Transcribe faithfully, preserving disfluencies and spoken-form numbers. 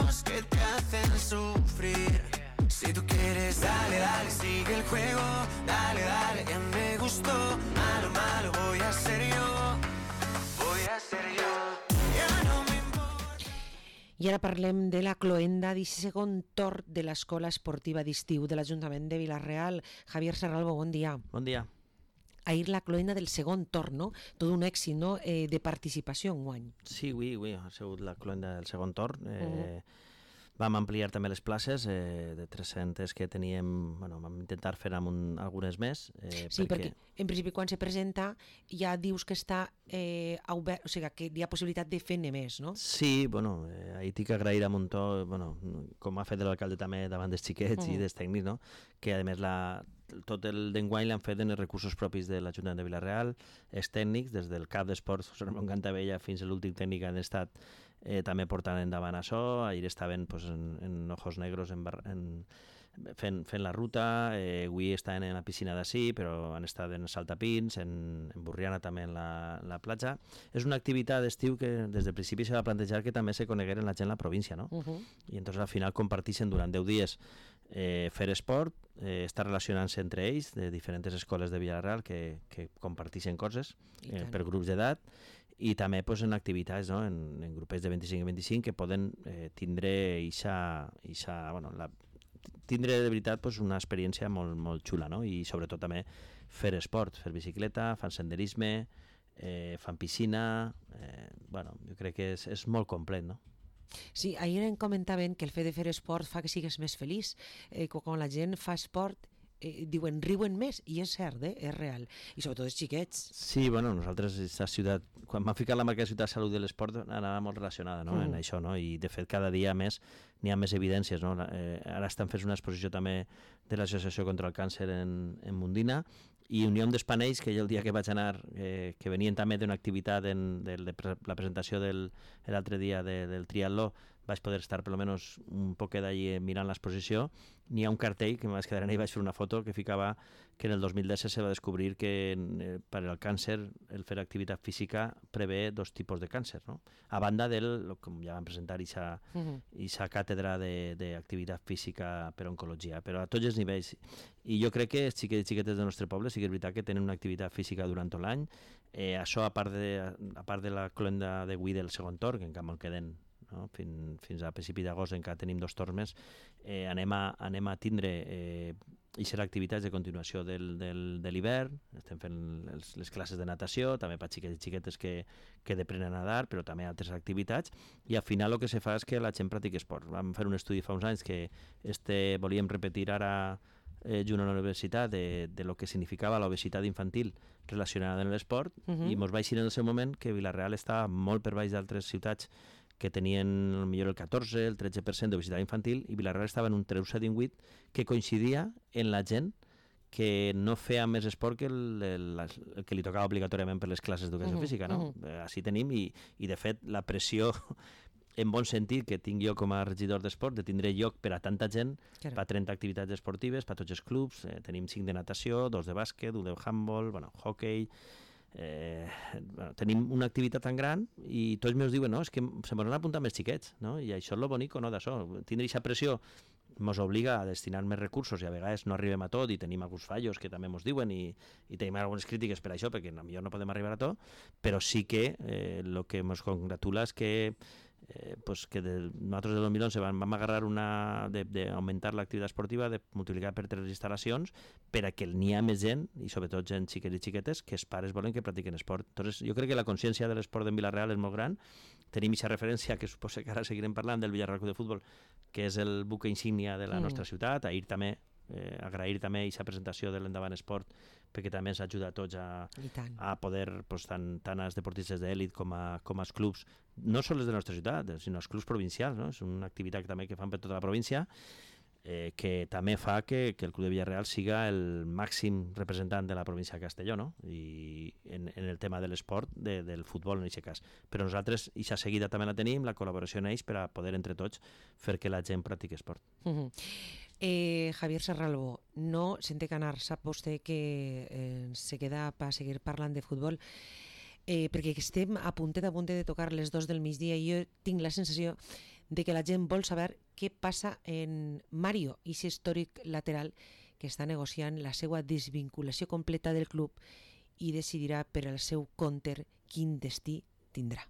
momentos que te hacen sufrir. Si tú quieres, dale, dale, sigue el juego. Dale, dale, que me gustó. Malo, malo, voy a ser yo. Voy a ser yo. Ya no me importa. I ara parlem de la cloenda d'aquest segon torn de l'Escola Esportiva d'Estiu de l'Ajuntament de Vila-real. Javier Serralbo, bon dia. Bon dia. Ahir la cloenda del segon torn, no? Tot un èxit, no? Eh, de participació enguany. Sí, avui, avui ha sigut la cloenda del segon torn. Eh, uh-huh. Vam ampliar també les places, eh, de tres-centes que teníem, bueno, vam intentar fer amb un, algunes més. Eh, sí, perquè... perquè en principi quan se presenta ja dius que està eh, obert, o sigui, que hi ha possibilitat de fer-ne més, no? Sí, bueno, eh, ahir tinc que agrair a Montó, bueno, com ha fet l'alcalde també davant dels xiquets uh-huh. i dels tècnics, no? Que a més la... tot el d'enguany l'han fet en els recursos propis de l'Ajuntament de Vila-real, els tècnics, des del cap d'esports, José Ramon Cantavella, fins a l'últim tècnic han estat eh, també portant endavant això. Ahir estaven pues, en, en Ojos Negros en, en, fent, fent la ruta, eh, avui estaven en la piscina d'ací, però han estat en Saltapins, en, en Burriana també en la, la platja. És una activitat d'estiu que des del principi s'ha de plantejar que també se conegueren la gent a la província, no? Uh-huh. I entonces al final comparteixen durant deu dies eh, fer esport, eh, estar relacionant-se entre ells de diferents escoles de Vila-real que, que comparteixen coses eh, per grups d'edat i també pues, en activitats, no? en, en grupets de vint-i-cinc a vint-i-cinc que poden eh, tindre ixa, ixa, bueno, la, tindre de veritat pues, una experiència molt, molt xula, no? I sobretot també fer esport, fer bicicleta, fan senderisme, eh, fan piscina, eh, bueno, jo crec que és, és molt complet, no? Sí, ahir em comentaven que el fet de fer esport fa que sigues més feliç, eh, quan la gent fa esport eh, diuen, riuen més, i és cert, eh? És real, i sobretot els xiquets. Sí, bueno, nosaltres aquesta ciutat, quan m'han ficat la marca de ciutat salut de l'esport anava molt relacionada, no? Mm. en això, no? I de fet cada dia més n'hi ha més evidències, no? Eh, ara estan fent una exposició també de l'Associació contra el Càncer en, en Mundina, i Unió d'Espanells, que jo el dia que vaig anar, eh, que venien també d'una activitat en, de, de la presentació del l'altre dia de, del triatló, vaig poder estar per almenys un poquet d'allí mirant l'exposició. N'hi ha un cartell que em vaig quedar en ell, vaig fer una foto que ficava que en el dos mil disset se va descobrir que eh, per al càncer el fer activitat física prevé dos tipus de càncer, no? A banda del, com ja vam presentar, ixa, uh-huh. ixa càtedra d'activitat física per oncologia, però a tots els nivells. I jo crec que els xiquets i xiquetes del nostre poble sí que és veritat que tenen una activitat física durant tot l'any. Eh, això, a part de, a part de la cloenda d'avui del segon torn, que encara en queden, no? fins, fins a principi d'agost encara tenim dos torns més, eh, anem, a, anem a tindre eh, i serà activitats de continuació del, del, de l'hivern. Estem fent les, les classes de natació, també per xiquets i xiquetes que, que deprenen a nedar, però també altres activitats, i al final el que se fa és que la gent practiqui esport. Vam fer un estudi fa uns anys que este volíem repetir ara eh, junt a la universitat de, de lo que significava l'obesitat infantil relacionada amb l'esport, uh-huh. i mos vaig dir en el seu moment que Vila-real estava molt per baix d'altres ciutats que tenien millor el catorze, el tretze per cent d'obesitat infantil, i Vila-real estava en un treze divuit que coincidia en la gent que no feia més esport que el, el, el que li tocava obligatòriament per les classes d'educació uh-huh. física, no? Uh-huh. Així tenim, i, i de fet la pressió en bon sentit que tinc jo com a regidor d'esport, de tindre lloc per a tanta gent, claro. Per trenta activitats esportives, per tots els clubs, eh, tenim cinc de natació, dos de bàsquet, un de handball, bueno, hockey, eh, bueno, tenim una activitat tan gran i tots meus diuen, no, és que se m'han apuntat més xiquets, no? I això és lo bonico, no, d'això, tindre aquesta pressió ens obliga a destinar més recursos i a vegades no arribem a tot i tenim alguns fallos que també ens diuen i, i tenim algunes crítiques per això perquè potser no podem arribar a tot, però sí que el eh, que ens congratula és que Eh, pues que de, nosaltres del dos mil onze vam, vam agarrar una d'augmentar l'activitat esportiva, de multiplicar per tres instal·lacions per a que n'hi ha més gent, i sobretot gent xiquets i xiquetes, que els pares volen que practiquen esport. Entonces, jo crec que la consciència de l'esport en Vila-real és molt gran. Tenim aquesta referència, que suposo que ara seguirem parlant, del Villarreal Club de Futbol, que és el buque insígnia de la mm. nostra ciutat. Ahir també Eh, agrair també aquesta presentació de l'Endavant Esport, perquè també ens ajuda a tots a, a poder, pues, tant, tant als deportistes d'èlit com, a, com als clubs, no sols de la nostra ciutat, sinó als clubs provincials, no? És una activitat també que fan per tota la província, eh, que també fa que, que el Club de Villarreal siga el màxim representant de la província de Castelló, no? I en, en el tema de l'esport, de, del futbol en aquest cas. Però nosaltres, i aquesta seguida també la tenim, la col·laboració en ells per a poder entre tots fer que la gent practiqui esport. Uh-huh. Eh, Javier Serralbo, no sente canar, sap vostè que eh, se queda per seguir parlant de futbol, eh, perquè estem a puntet a puntet de tocar les dos del migdia i jo tinc la sensació de que la gent vol saber què passa en Mario, i aquest històric lateral que està negociant la seva desvinculació completa del club i decidirà per al seu compte quin destí tindrà.